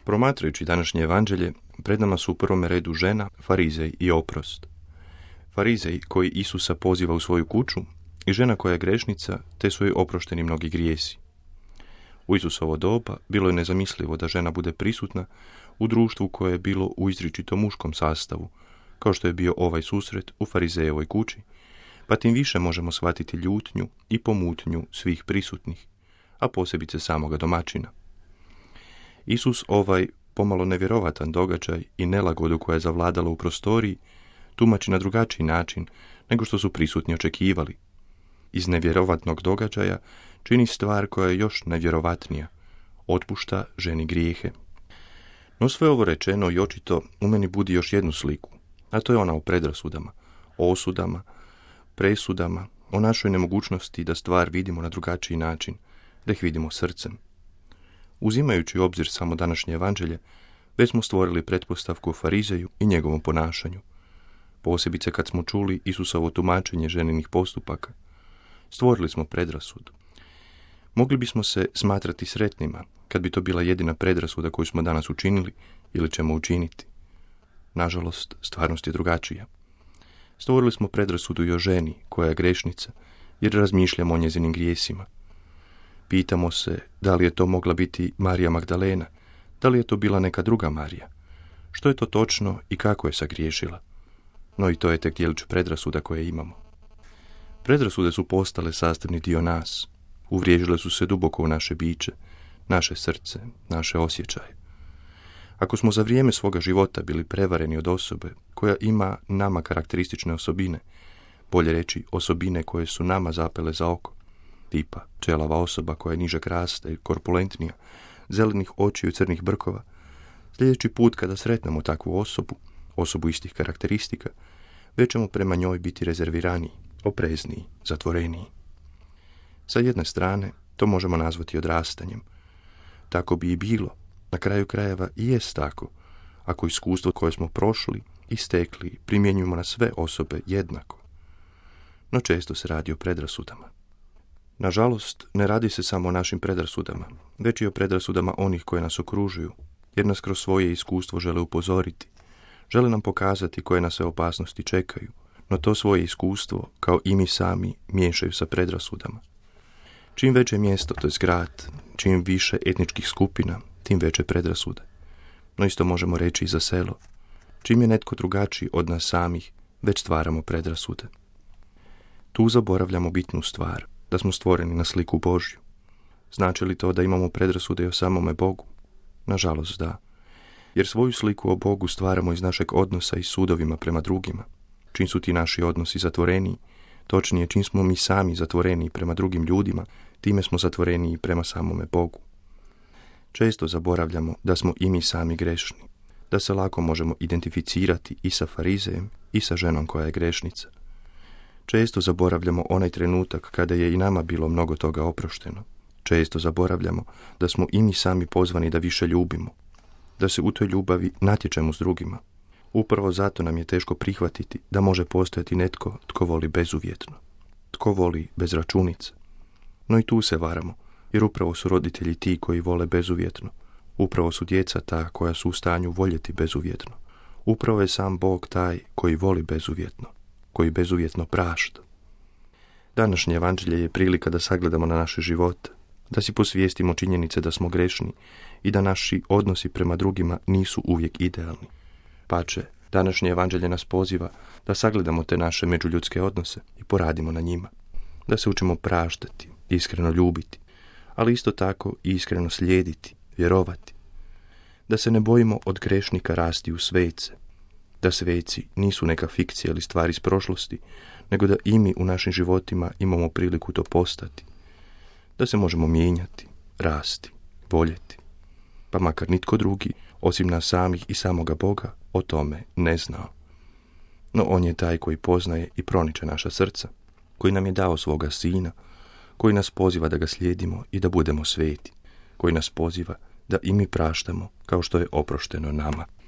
Promatrajući današnje evanđelje, pred nama su u prvome redu žena, farizej i oprost. Farizej koji Isusa poziva u svoju kuću i žena koja je grešnica, te su joj oprošteni mnogi grijesi. U Isusovo doba bilo je nezamislivo da žena bude prisutna u društvu koje je bilo u izričito muškom sastavu, kao što je bio ovaj susret u farizejevoj kući, pa tim više možemo shvatiti ljutnju i pomutnju svih prisutnih, a posebice samoga domaćina. Isus ovaj pomalo nevjerovatan događaj i nelagodu koja je zavladala u prostoriji tumači na drugačiji način nego što su prisutni očekivali. Iz nevjerovatnog događaja čini stvar koja je još nevjerovatnija, otpušta ženi grijehe. No sve ovo rečeno i očito u meni budi još jednu sliku, a to je ona o predrasudama, o osudama, presudama, o našoj nemogućnosti da stvar vidimo na drugačiji način, da ih vidimo srcem. Uzimajući u obzir samo današnje evanđelje, već smo stvorili pretpostavku o farizeju i njegovom ponašanju. Posebice kad smo čuli Isusovo tumačenje ženinih postupaka, stvorili smo predrasudu. Mogli bismo se smatrati sretnima kad bi to bila jedina predrasuda koju smo danas učinili ili ćemo učiniti. Nažalost, stvarnost je drugačija. Stvorili smo predrasudu i o ženi koja je grešnica, jer razmišljamo o njezinim grijesima. Pitamo se da li je to mogla biti Marija Magdalena, da li je to bila neka druga Marija. Što je to točno i kako je sagriješila? No i to je tek djelić predrasuda koje imamo. Predrasude su postale sastavni dio nas. Uvriježile su se duboko u naše biće, naše srce, naše osjećaje. Ako smo za vrijeme svoga života bili prevareni od osobe koja ima nama karakteristične osobine, bolje reći osobine koje su nama zapele za oko, tipa čelava osoba koja je nižeg rasta i korpulentnija, zelenih očiju i crnih brkova, sljedeći put kada sretnemo takvu osobu istih karakteristika, već ćemo prema njoj biti rezerviraniji, oprezniji, zatvoreniji. Sa jedne strane, to možemo nazvati odrastanjem. Tako bi i bilo, na kraju krajeva i jest tako, ako iskustvo koje smo prošli i stekli primjenjujemo na sve osobe jednako. No često se radi o predrasudama. Nažalost, ne radi se samo o našim predrasudama, već i o predrasudama onih koje nas okružuju, jer nas kroz svoje iskustvo žele upozoriti, žele nam pokazati koje nas sve opasnosti čekaju, no to svoje iskustvo, kao i mi sami, miješaju sa predrasudama. Čim veće mjesto, to je grad, čim više etničkih skupina, tim veće predrasude. No isto možemo reći i za selo. Čim je netko drugačiji od nas samih, već stvaramo predrasude. Tu zaboravljamo bitnu stvar, da smo stvoreni na sliku Božju. Znači li to da imamo predrasude i o samome Bogu? Nažalost da. Jer svoju sliku o Bogu stvaramo iz našeg odnosa i sudovima prema drugima. Čim su ti naši odnosi zatvoreniji, točnije čim smo mi sami zatvoreniji prema drugim ljudima, time smo zatvoreniji prema samome Bogu. Često zaboravljamo da smo i mi sami grešni, da se lako možemo identificirati i sa farizejem i sa ženom koja je grešnica. Često zaboravljamo onaj trenutak kada je i nama bilo mnogo toga oprošteno. Često zaboravljamo da smo i mi sami pozvani da više ljubimo, da se u toj ljubavi natječemo s drugima. Upravo zato nam je teško prihvatiti da može postojati netko tko voli bezuvjetno, tko voli bez računice. No i tu se varamo, jer upravo su roditelji ti koji vole bezuvjetno. Upravo su djeca ta koja su u stanju voljeti bezuvjetno. Upravo je sam Bog taj koji voli bezuvjetno, koji bezuvjetno prašta. Današnje evanđelje je prilika da sagledamo na naše živote, da si posvijestimo činjenice da smo grešni i da naši odnosi prema drugima nisu uvijek idealni. Pače, današnje evanđelje nas poziva da sagledamo te naše međuljudske odnose i poradimo na njima, da se učimo praštati, iskreno ljubiti, ali isto tako i iskreno slijediti, vjerovati, da se ne bojimo od grešnika rasti u svece, da sveci nisu neka fikcija ili stvar iz prošlosti, nego da i mi u našim životima imamo priliku to postati, da se možemo mijenjati, rasti, voljeti, pa makar nitko drugi, osim nas samih i samoga Boga, o tome ne znao. No on je taj koji poznaje i proniče naša srca, koji nam je dao svoga sina, koji nas poziva da ga slijedimo i da budemo sveti, koji nas poziva da i mi praštamo kao što je oprošteno nama.